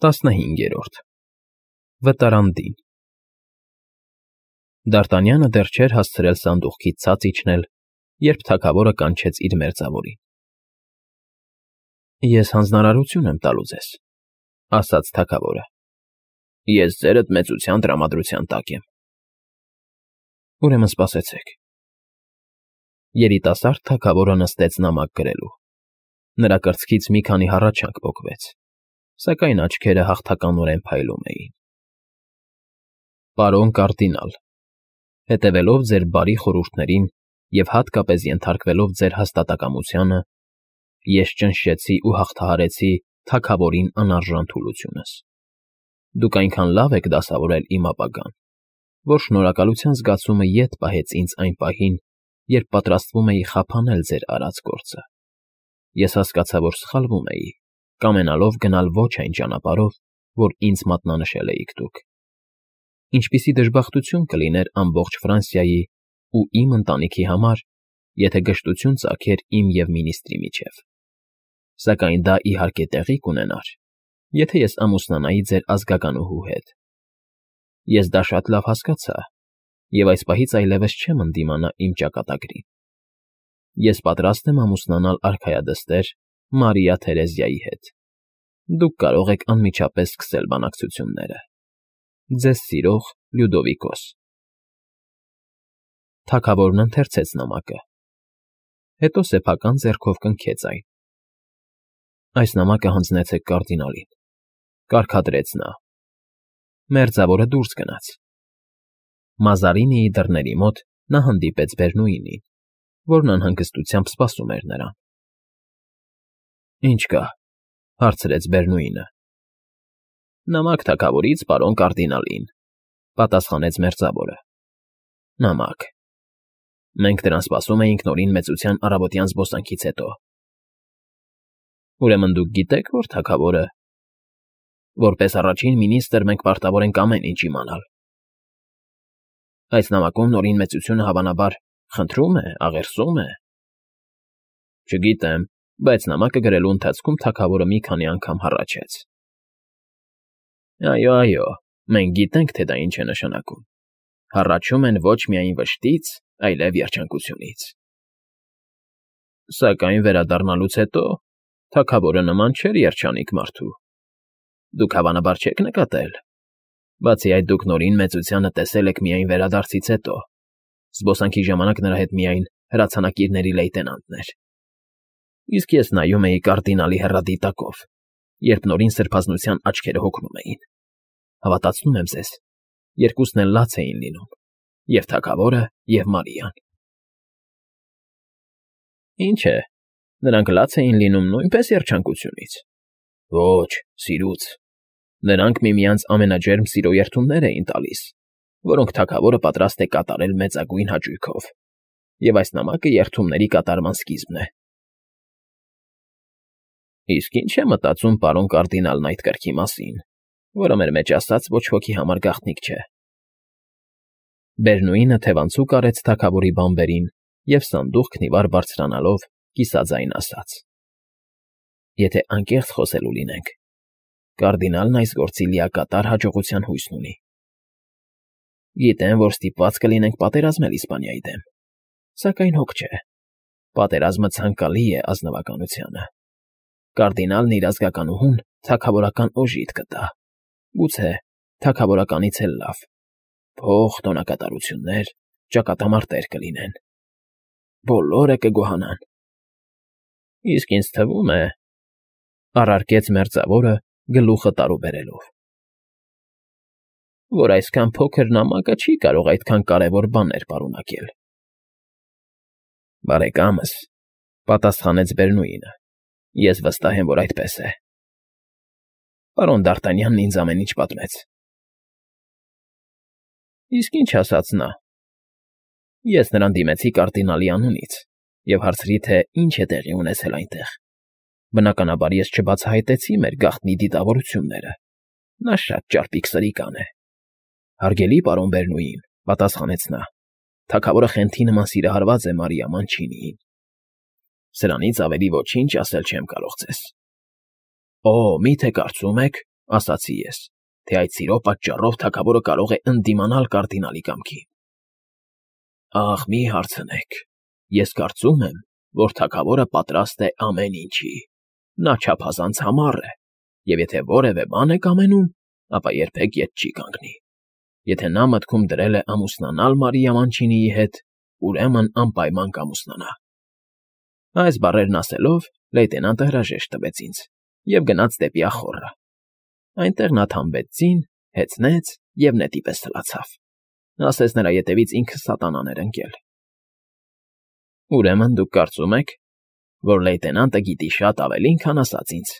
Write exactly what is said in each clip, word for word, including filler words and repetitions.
Տասնհինգերորդ Վտարանդին Դ'Արտանյանը դեռ չէր հասցրել սանդուղքից ցած իջնել, երբ թագավորը կանչեց իր մերձավորին։ ֊ Ես հանձնարարություն եմ տալու ձեզ,֊ ասաց թագավորը։ ֊ Ես ձերդ մեծության տրամադրության տակ եմ։ ֊ Ուրեմն սպասեցեք… Երիտասարդ թագավորը նստեց նամակ գրելու։ Նրա կրծքից մի քանի հառաչանք պոկվեց, սակայն աչքերը հաղթականորեն փայլում էին։ ֊ Պարոն կարդինալ, հետևելով ձեր բարի խորհուրդներին և հատկապես ենթարկվելով ձեր հաստատակամությանը, ես ճնշեցի ու հաղթահարեցի թագավորին անարժան թուլությունս։ Դուք այնքան լավ եք դասավորել իմ ապագան, որ շնորհակալության զգացումը ետ պահեց ինձ այն պահին, երբ պատրաստվում էի խափանել ձեր արած գործը։ Ես հասկացա, որ սխալվում էի, կամենալով գնալ ոչ այն ճանապարհով, որ ինձ մատնանշել էիք դուք։ Ինչպիսի դժբախտություն կլիներ ամբողջ Ֆրանսիայի ու իմ ընտանիքի համար, եթե գժտություն ծագեր իմ և մինիստրի միջև։ Սակայն դա իհարկե տեղի կունենար, եթե ես ամուսնանայի ձեր ազգականուհու հետ։ Ես դա շատ լավ հասկացա և այս պահից այլևս չեմ ընդդիմանա իմ ճակատագրին։ Ես պատրաստ եմ ամուսնանալ արքայադստեր Մարիա Թերեզիայի հետ։ Դուք կարող եք անմիջապես սկսել բանակցությունները։ Ձեզ սիրող Լյուդովիկոս։ Թագավորն ընթերցեց նամակը, հետո սեփական ձեռքով կնքեց այն։ Այս նամակը հանձնեցեք կարդինալին,֊ կարգադրեց նա։ Մերձավորը դուրս գնաց։ Մազարինիի դռների մոտ նա հանդիպեց Բերնուինին, որն անհանգստությամբ սպասում էր նրան։ ֊ Ի՞նչ կա,֊ հարցրեց Բերնուինը։ ֊ Նամակ թագավորից պարոն կարդինալին,֊ պատասխանեց մերձավորը։ ֊ Նամակ… Մենք դրան սպասում էինք նորին մեծության առավոտյան զբոսանքից հետո։ ֊ Ուրեմն դուք գիտեք, որ թագավորը… Որպես առաջին մինիստրը մենք պարտավոր ենք ամեն ինչ իմանալ։ ֊ Այս նամակում նորին մեծությունը հավանաբար խնդրում է, աղերսում է… Չգիտեմ, բայց նամակը գրելու ընթացքում թագավորը մի քանի անգամ հառաչեց։ ֊ Այո, այո, մենք գիտենք, թե դա ինչ է նշանակում. հառաչում են ոչ միայն վշտից, այլև երջանկությունից։ Սակայն վերադառնալուց հետո թագավորը նման չէր երջանիկ մարդու։ Դուք հավանաբար չեք նկատել. բացի այդ, դուք նորին մեծությանը տեսել եք միայն վերադարձից հետո, զբոսանքի ժամանակ նրա հետ միայն հրացանակիրների լեյտենանտն էր։ Իսկ ես նայում էի կարդինալի հեռադիտակով, երբ նորին սրբազնության աչքերը հոգնում էին։ Հավատացնում եմ ձեզ, երկուսն էլ լաց էին լինում, և թագավորը, և Մարիան։ ֊ Ինչ է, նրանք լաց էին լինում նույնպես երջանկությունից։ ֊ Ոչ, սիրուց… Նրանք միմյանց ամենաջերմ սիրո երդումներ էին տալիս, որոնք թագավորը պատրաստ է կատարել մեծագույն հաճույքով, և այս նամակը երդումների կատարման սկիզբն է։ ֊ Իսկ ի՞նչ է մտածում պարոն կարդինալն այդ կրքի մասին, որը մեր մեջ ասած ոչ ոքի համար գաղտնիք չէ։ Բերնուինը թևանցուկ արեց թագավորի բանբերին և սանդուղքն ի վար բարձրանալով կիսաձայն ասաց. ֊ Եթե անկեղծ խոսելու լինենք, կարդինալն այս գործի լիակատար հաջողության հույսն ունի։ Գիտեմ, որ ստիպված կլինենք պատերազմել Իսպանիայի դեմ, սակայն հոգ չէ, պատերազմը ցանկալի է ազնվականությանը։ Կարդինալն իր ազգականուհուն թագավորական օժիտ կտա, գուցե թագավորականից էլ լավ, փող, տոնակատարություններ, ճակատամարտեր կլինեն, բոլորը կգոհանան։ ֊ Իսկ ինձ թվում է,֊ առարկեց մերձավորը գլուխը տարուբերելով,֊ որ այսքան փոքր նամակը չի կարող այդքան կարևոր բաներ պարունակել։ ֊ Բարեկամս,֊ պատասխանեց Բերնուինը,֊ ես վստահ եմ, որ այդպես է։ Պարոն Դ'Արտանյանն ինձ ամեն ինչ պատմեց։ ֊ Իսկ ի՞նչ ասաց նա։ ֊ Ես նրան դիմեցի կարդինալի անունից և հարցրի, թե ինչ է տեղի ունեցել այնտեղ։ Բնականաբար ես չբացահայտեցի մեր գաղտնի դիտավորությունները։ Նա շատ ճարպիկ սրիկան է։ ֊ Հարգելի պարոն Բերնուին,֊ պատասխանեց նա,֊ թագավորը խենթի նման սիրահարված է Մարիա Մանչինիին։ Սրանից ավելի ոչինչ ասել չեմ կարող ձեզ։ ֊ Օ, մի՞թե կարծում եք, ասացի ես, թե այդ սիրո պատճառով թագավորը կարող է ընդդիմանալ կարդինալի կամքին։ Ախ, մի հարցնեք, ես կարծում եմ, որ թագավորը պատրաստ է ամեն ինչի, նա չափազանց համառ է, և եթե որևէ բան է կամենում, ապա երբեք ետ չի կանգնի։ Եթե նա մտքում դրել է ամուսնանալ Մարիա Մանչինիի հետ, ուրեմն անպայման կամուսնանա։ Այս բառերն ասելով, լեյտենանտը հրաժեշտ տվեց ինձ և գնաց դեպի ախոռը։ Այնտեղ նա թամբեց ձին, հեծնեց և նետի պես թլացավ։ Ասես նրա ետևից ինքը սատանան էր ընկել։ Ուրեմն դուք կարծում եք, որ լեյտենանտը գիտի շատ ավելին, քան ասաց ինձ։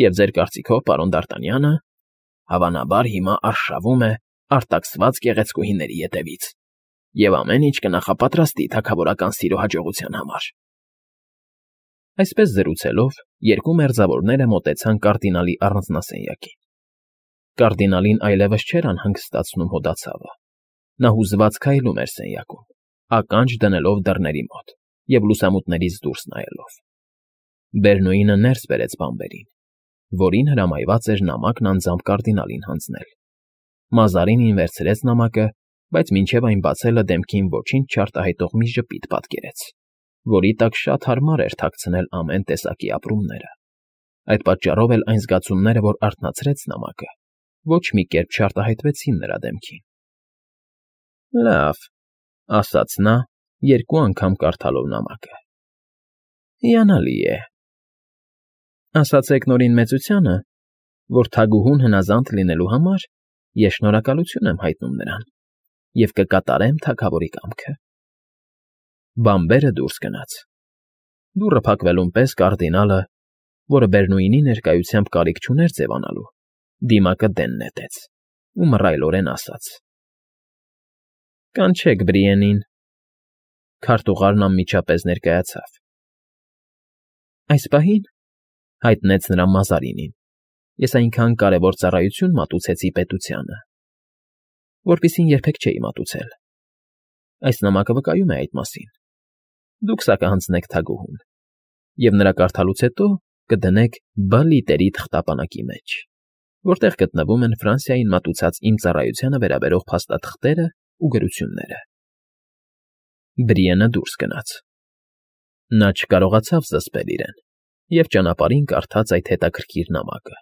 Եվ ձեր կարծիքով պարոն Դ'Արտանյանը, հավանաբար հիմա արշավում է արտաքսված գեղեցկուհիների ետևից և ամեն ինչ կնախապատրաստի թագավորական սիրո հաջողության համար։ Այսպես զրուցելով, երկու մերձավորները մոտեցան կարդինալի առանձնասենյակին։ Կարդինալին այլևս չէր անհանգստացնում հոդացավը։ Նա հուզված քայլում էր սենյակում, ականջ դնելով դռների մոտ և լուսամուտներից դուրս նայելով։ Բերնուինը ներս բերեց բանբերին, որին հրամայված էր նամակն անձամբ կարդինալին հանձնել։ Մազարինին վերցրեց նամակը, բայց մինչև այն բացելը դեմքին ոչինչ չարտահայտող մի ժպիտ պատկերեց, որի տակ շատ հարմար էր թաքցնել ամեն տեսակի ապրումները։ Այդ պատճառով էլ այն զգացումները, որ արթնացրեց նամակը, ոչ մի կերպ չարտահայտվեցին նրա դեմքին։ Լավ, ասաց նա, երկու անգամ կարդալով նամակը։ Հիանալի է։ Ասացեք Նորին Մեծությանը, որ թագուհուն հնազանդ լինելու համար ես շնորհակալություն եմ հայտնում նրան և կկատարեմ թագավորի կամքը։ Բանբերը դուրս գնաց։ Դուռը փակվելուն պես կարդինալը, որը Բերնուինի ներկայությամբ կարիք չուներ ձևանալու, դիմակը դեն նետեց ու մռայլորեն ասաց. Կանչեք Բրիենին։ Քարտուղարն անմիջապես ներկայացավ։ Այս պահին, հայտնեց նրան Մազարինին, ես այնքան կարևոր ծառայություն մատուցեցի պետությանը, որպեսզի երբեք չէի մատուցել։ Այս նամակը վկայում է այդ մասին։ Դուք սա կհանձնեք թագուհուն, և նրա կարդալուց հետո կդնեք B լիտերի թղթապանակի մեջ, որտեղ գտնվում են Ֆրանսիային մատուցած իմ ծառայությանը վերաբերող փաստաթղթերը ու գրությունները։ Բրիենը դուրս գնաց։ Նա չկարողացավ զսպել իրեն և ճանապարհին կարդաց այդ հետաքրքիր նամակը,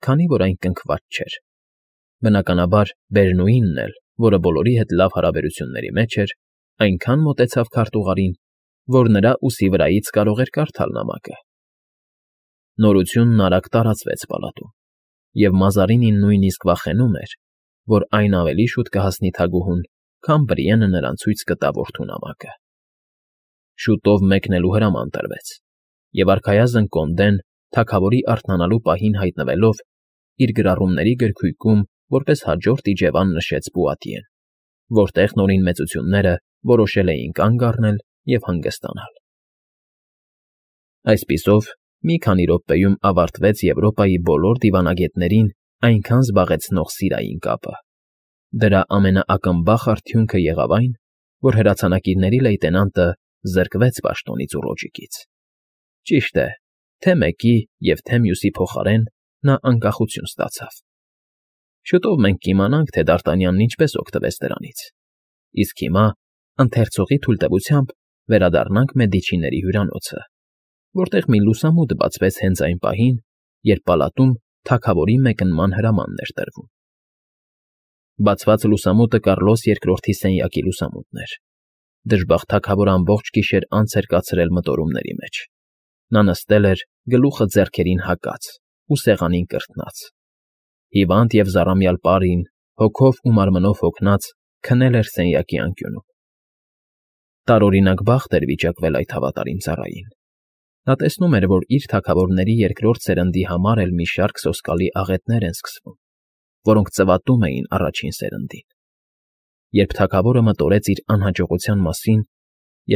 քանի որ այն կնքված չէր։ Բնականաբար, Բերնուինն էլ, որը բոլորի հետ լավ հարաբերությունների մեջ էր, այնքան մոտեցավ քարտուղարին, որ նրա ուսի վրայից կարող էր կարդալ նամակը։ Նորությունն արագ տարածվեց պալատում, և Մազարինին նույնիսկ վախենում էր, որ այն ավելի շուտ կհասնի թագուհուն, քան Բրիենը նրան ցույց կտա որդու նամակը։ Շուտով մեկնելու հրաման տրվեց, և արքայազն կոնդեն, թագավորի արթնանալու պահին հայտնվելով, իր գրառումների գրքույկում որպես հաջորդ իջևան նշեց Պուատիեն, որտեղ Նորին Մեծությունները որոշել էին կանգ առնել և հանգստանալ։ Այսպիսով, մի քանի րոպեում ավարտվեց Եվրոպայի բոլոր դիվանագետներին այնքան զբաղեցնող սիրային կապը։ Դրա ամենաակնբախ արդյունքը եղավ այն, որ հրացանակիրների լեյտենանտը զրկվեց պաշտոնից ու ռոճիկից։ Ճիշտ է, թե մեկի և թե մյուսի փոխարեն նա անկախություն ստացավ։ Շուտով մենք կիմանանք, թե Դ'Արտանյանն ինչպես օգտվեց դրանից, իսկ հիմա, ընթերցողի թույլտվությամբ, վերադառնանք Մեդիչիների հյուրանոցը, որտեղ մի լուսամուտ բացվեց հենց այն պահին, երբ պալատում թագավորի մեկնման հրամանն էր տրվում։ Բացված լուսամուտը Կարլոս երկրորդի սենյակի լուսամուտն էր։ Դժբախտ թագավորը ամբողջ գիշեր անց էր կացրել մտորումների մեջ։ Նա նստել էր, գլուխը ձեռքերին հակած ու սեղանին կրթնած։ Հիվանդ և զառամյալ պարին, հոգով ու մարմնով հոգնած, քնել էր սենյակի անկյունում։ Տարօրինակ բախտ էր վիճակվել այդ հավատարիմ ծառային։ Նա տեսնում էր, որ իր թագավորների երկրորդ սերնդի համար էլ մի շարք սոսկալի աղետներ են սկսվում, որոնք ծվատում էին առաջին սերնդին։ Երբ թագավորը մտորեց իր անհաջողության մասին,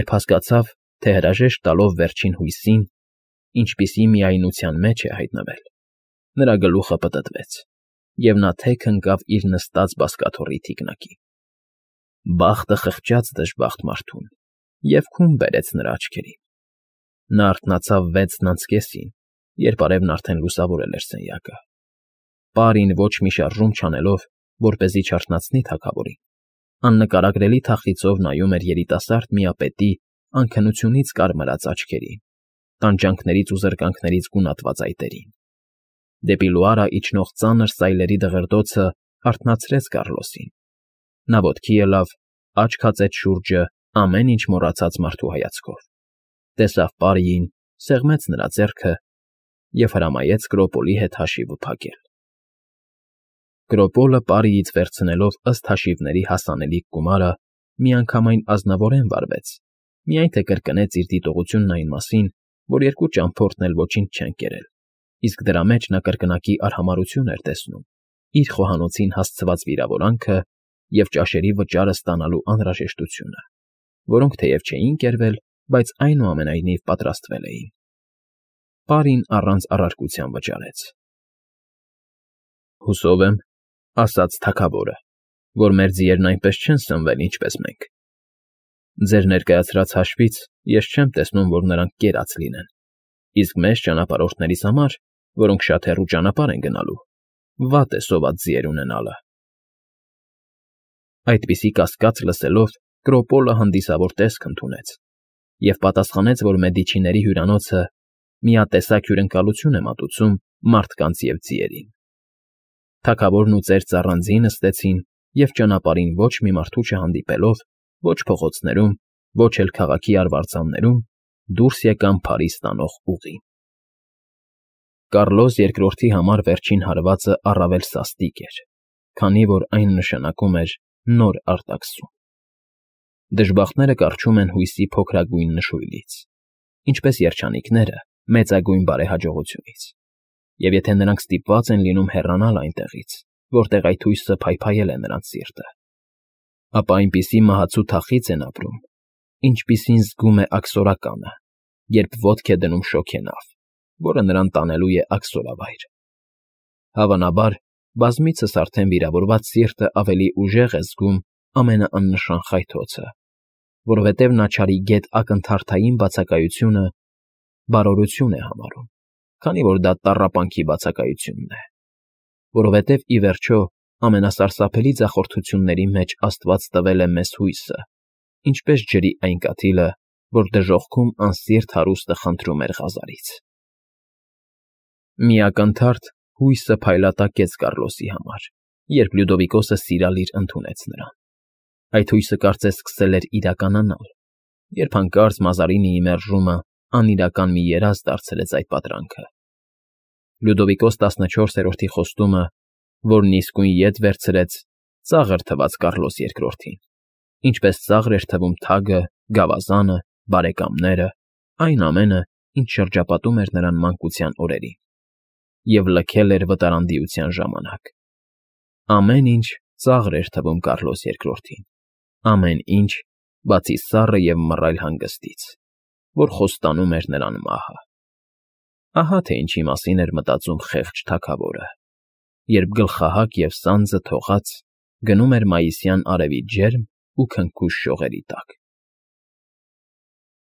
երբ հասկացավ, թե հրաժեշտ տալով վերջին հույսին, ինչպիսի միայնության մեջ է հայտնվել, նրա գլուխը պտտվեց, և նա թեք ընկավ իր նստած բազկաթոռի թիկնակին։ Բախտը խղճաց դժբախտ մարդուն և քուն բերեց նրա աչքերին։ Նա արթնացավ վեցն անց կեսին, երբ արևն արդեն լուսավորել էր սենյակը։ Պարին ոչ մի շարժում չանելով, որպեսզի չարթնացնի թագավորին, աննկարագրելի թախիծով նայում էր երիտասարդ միապետի անքնությունից կարմրած աչքերին, տանջանքներից ու զրկանքներից գունատված այտերին։ Դեպի լուարա իջնող ծանր սայլերի դղրդոցը հարթնացրեց Կառլոսին։ Նա ոտքի ելավ, աչք հացեց շուրջը ամեն ինչ մոռացած մարդու հայացքով, տեսավ պարիին, սեղմեց նրա ձեռքը և հրամայեց Կրոպոլի հետ հաշիվը փակել։ Կրոպոլը պարիից վերցնելով ըստ հաշիվների հասանելիք գումարը, միանգամայն ազնվորեն վարվեց, միայն թե կրկնեց իր դիտողությունն այն մասին, որ երկու ճամփորդն էլ ոչինչ չեն կերել, իսկ դրա մեջ նա կրկնակի արհամարհություն էր տեսնում, իր խոհանոցին հասցված վիրավորանքը և ճաշերի վճարը ստանալու անհրաժեշտությունը, որոնք թեև չէին կերվել, բայց այնուամենայնիվ պատրաստվել էին։ Պարին առանց առարկության վճարեց։ ֊ Հուսով եմ, ասաց թագավորը, որ մեր ձիերն այնպես չեն սնվել, ինչպես մենք. ձեր ներկայացրած հաշվից ես չեմ տեսնում, որ նրանք կերած լինեն, իսկ մեզ ճանապարհորդներիս համար, որոնք շատ հեռու ճանապարհ են գնալու, վատ է սոված ձիեր ունենալը։ Այդպիսի կասկած լսելով, Կրոպոլը հանդիսավոր տեսք ընդունեց և պատասխանեց, որ Մեդիչիների հյուրանոցը միատեսակ հյուրընկալություն է մատուցում մարդկանց և ձիերին։ Թագավորն ու ծեր ծառանձին նստեցին և ճանապարհին ոչ մի մարդու չհանդիպելով, ոչ փողոցներում, ոչ էլ քաղաքի արվարձաններում, դուրս եկան Փարիզ տանող ուղին։ Կառլոս Երկրորդի համար վերջին հարվածը առավել սաստիկ էր, քանի որ այն նշանակում էր նոր արտաքսում։ Դժբախտները կառչում են հույսի փոքրագույն նշույլից, ինչպես երջանիկները մեծագույն բարեհաջողությունից, և եթե նրանք ստիպված են լինում հեռանալ այնտեղից, որտեղ այդ հույսը փայփայել է նրանց սիրտը, ապա այնպիսի մահացու թախիծ են ապրում, ինչպիսին զգում է աքսորականը, երբ ոտք է դնում շոգենավ, որը նրան տանելու է աքսորավայր։ Հավանաբար, բազմիցս արդեն վիրավորված սիրտը ավելի ուժեղ է զգում ամենաաննշան խայթոցը, որովհետև նա չարի գետ ակնթարթային բացակայությունը բարօրություն է համարում, քանի որ դա տառապանքի բացակայությունն է, որովհետև, ի վերջո, ամենասարսափելի ձախորդությունների մեջ Աստված տվել է մեզ հույսը, ինչպես ջրի այն կաթիլը, որ դժոխքում անսիրտ հարուստը խնդրում էր Ղազարից։ Մի ակնթարթ հույսը փայլատակեց Կառլոսի համար, երբ Լյուդովիկոսը սիրալիր ընդունեց նրան։ Այդ հույսը կարծես սկսել էր իրականանալ, երբ հանկարծ Մազարինիի մերժումը անիրական մի երազ դարձրեց այդ պատրանքը։ Լյուդովիկոս տասնչորսերորդի խոստումը, որն իսկույն ետ վերցրեց, ծաղր թվաց Կառլոս Երկրորդին, ինչպես ծաղր էր թվում թագը, գավազանը, բարեկամները, այն ամենը, ինչ շրջապատում էր նրան մանկության օրերին, և լքել էր վտարանդիության ժամանակ։ Ամեն ինչ ծաղր էր թվում Կառլոս Երկրորդին, ամեն ինչ, բացի սառը և մռայլ հանգստից, որ խոստանում էր նրան մահը։ Ահա թե ինչի մասին էր մտածում խեղճ թագավորը, երբ գլխահակ և սանձը թողած գնում էր մայիսյան արևի ջերմ ու քնքուշ շողերի տակ։